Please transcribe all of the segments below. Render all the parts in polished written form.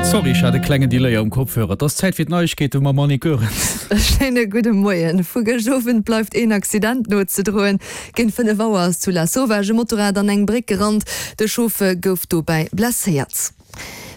Sorry, ech hat e klengen Delay am Kopfhörer. Et ass Zäit fir d'Neiegkeete mam Annick Goerens. E schéine gudde Moien. Vu gëscht Owend bleift een Accident nozedroen. Géint 5 Auer ass zu Lasauvage e Motorrad an eng Bréck gerannt. De Chauffer gouf dobäi blesséiert.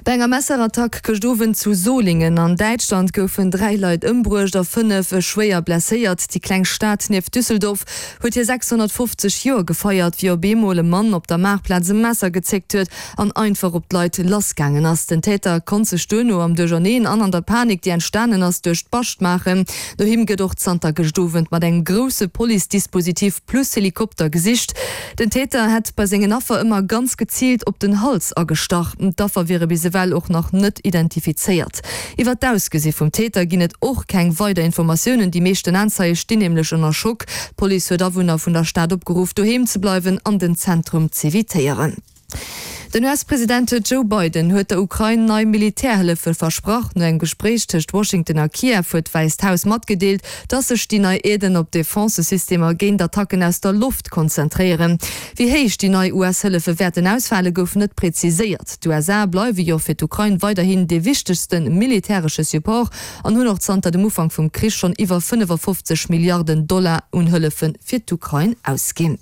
Bei enger Messerattack gëscht Owend zu Solingen an Däitschland goufen 3 Leit ëmbruecht a 5 schwéier blesséiert. Déi kleng Stad nieft Düsseldorf huet hir 650 Joer gefeiert, wéi op eemol e Mann op der Maartplaz e Messer gezéckt huet an einfach op d'Leit lassgaangen ass. Den Täter konnt sech duerno am Duercherneen an an der Panik, déi entstanen ass, duerch d'Bascht maachen. No him gëtt och zanter gëscht Owend mat engem grousse Police-Dispositif plus Helikopter gesicht. Den Täter hätt bei sengen Affer ëmmer ganz geziilt op den Hals agestach. D'Affer wiere bis ewell och nach net identifizéiert. Iwwer d'Ausgesi vum Täter ginn et och keng weider Informatiounen. Déi meeschten Aenzeie stinn nämlech ënner Schock. D'Police huet Awunner vun der Stad opgeruff, doheem ze bleiwen an den Zentrum z'evitéieren. Den US-President Joe Biden huet der Ukrain nei Militärhëllefe versprach. No engem Gespréich tëscht Washington a Kiew huet d'Wäisst Haus matgedeelt, datt sech déi nei Aiden op Defensesystemer géint Attacken aus der Loft konzentréieren. Wéi héich déi nei US-Hëllefe wäerten ausfale gouf net preziséiert. D'USA bleiwe jo fir d'Ukrain weiderhin dee wichtegste militäresche Support an hunn och zanter dem Ufank vum Krich schonn iwwer 55 Milliarden Dollar un Hëllefe fir d'Ukrain ausginn.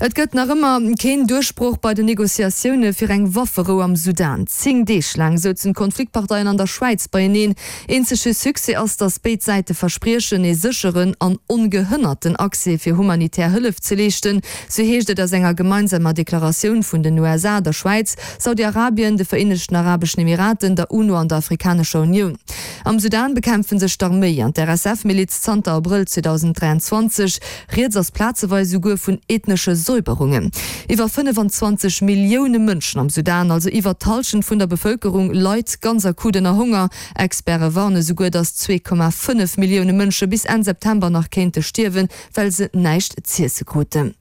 Et gëtt nach ëmmer keen Duerchbroch bei den Negociatioune fir eng Wafferou am Sudan. 10 Deeg laang souzen d'Konfliktparteien an der Schwäiz beieneen. Eenzege Succès ass, datt béid Säite verspriechen, ee sécheren an ongehënnerten Accès fir humanitär Hëllef ze leeschten. Sou heescht et aus enger gemeinsamer Deklaratioun vun den USA, der Schwäiz, Saudi-Arabien, de Vereenegten Arabeschen Emiraten, der UNO an der Afrikanescher Unioun. Am Sudan bekämpfe sech d'Arméi an d'RSF-Miliz zanter Abrëll 2023. Rieds ass plazeweis esouguer vun ethnesche Säuberungen. Iwwer 25 Millioune Mënschen am Sudan, also iwwer d'Hallschent vun der Bevëlkerung, leit ganz akut ënner Honger. Experte warne souguer, datt 2,5 Millioune Mënsche bis Enn September nach kéinte stierwen, well se näischt z'iesse kruten.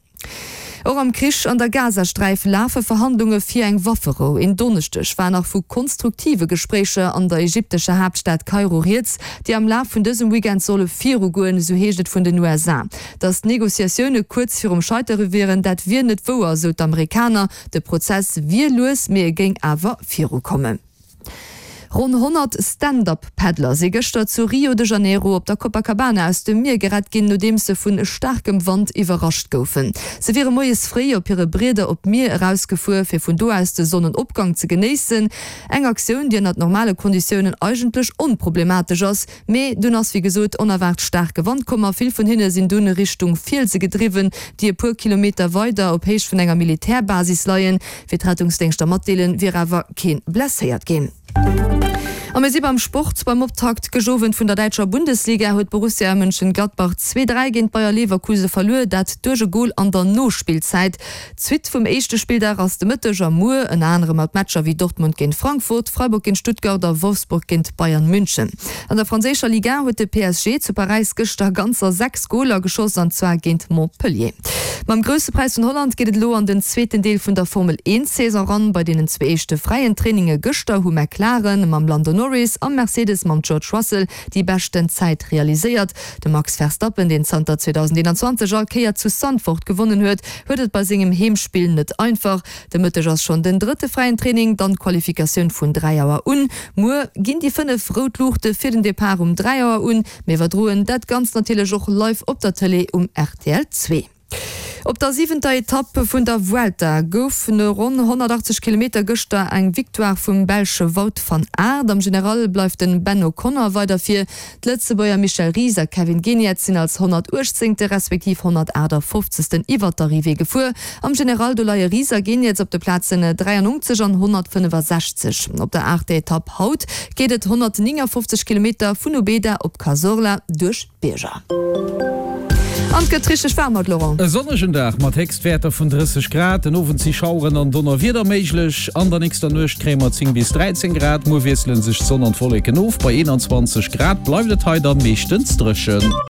Och am Krich an der Gazasträif lafe Verhandlunge fir eng Wafferou. En Donneschdeg war nach vu konstruktive Gespréicher an der ägyptescher Haaptstad Kairo rieds, déi am Laf vun dësem Weekend solle virugoen, esou heescht et vun den USA. Datt d'Negociatioune kuerz virum Scheitere wieren, dat wier net wouer, esou d'Amerikaner. De Prozess wier lues, mee e géing awer virukommen. Ronn 100 Stand-Up-Paddler si gëschter zu Rio de Janeiro op der Copacabana aus dem Mier gerett ginn, nodeems se vu staarkem Wand iwwerrascht goufen. Se wiere moies fréi op hire Brieder op d'Mier erausgefuer, fir vun do aus de Sonnenopgang ze genéissen. Eng Aktioun, déi ënnert normale Konditiounen eigentlech onproblematesch ass, mee dunn ass wéi gesot onerwaart staarke Wand komm a vill vun hinne sinn dunn Richtung Fielse gedriwwen, déi e puer Kilometer weider op Héicht vun enger Militärbasis leien. Wéi d'Rettungsdéngschter matdeelen, wier awer kee blesséiert ginn. A mir si beim Sport. Beim Optakt gëscht Owend vun der däitscher Bundesliga huet Borussia Mönchengladbach 2, 3 géint Bayer Leverkuse verluer, dat duerch e Gol an der Nospillzäit. D'Suite vum éischte Spilldag ass de Mëtteg a muer, ënner anerem mat Matcher wéi Dortmund géint Frankfurt, Freiburg géint Stuttgart a Wolfsburg géint Bayern München. An der franséischer Ligue 1 huet de PSG zu Paräis gëschter ganzer 6 Goler geschoss an zwar géint Montpellier. Mam Grousse Präis vun Holland geet et elo an den zweeten Deel vun der Formel 1 Saison eran. Bei deenen zwee éischte fräien Traininge gëschter hu McLaren mam Lando Norris a Mercedes mam George Russell déi beschten Zäit realiséiert. De Max Verstappen, deen zanter 2021 all Kéier zu Zandvoort gewonnen huet, huet et bei sengem Heemspill net einfach. De Mëtteg ass schonn den drëtte fräien Training, dann d'Qualifikatioun vun 3 Auer un. Muer ginn déi 5 rout Luuchte fir den Depart um 3 Auer un. Mir iwwerdroen dat Ganzt natierlech och live op der Tëlee um rtl 2. Op der siwenter Etapp vun der Vuelta gouf no ronn 180 Kilometer gëschter eng Victoire vum Belsche Wout van Aert. Am General bleift den Ben O'Connor weider vir. D'Lëtzebuerger Michel Ries a Kevin Geniets sinn als 118. Respektiv 158. Iwwer d'Arrivée gefuer. Am General do leie Ries a Geniets op de Plazen 93 an 165. Op der aachter Etapp haut geet et 159 Kilometer vun Ubeda op Cazorla duerch d'Bierger. An et gëtt richteg waarm haut, Laurent. E sonnegen Dag mat Héchstwäerter vun 30 Grad. Den Owend si Schaueren an Donnerwieder méiglech. An der nächster Nuecht kréie mer 10 bis 13 Grad. Muer wiessele sech d'Sonn an d'Wolleken of. Bei 21 Grad bleift et hei dann meeschtens dréchen.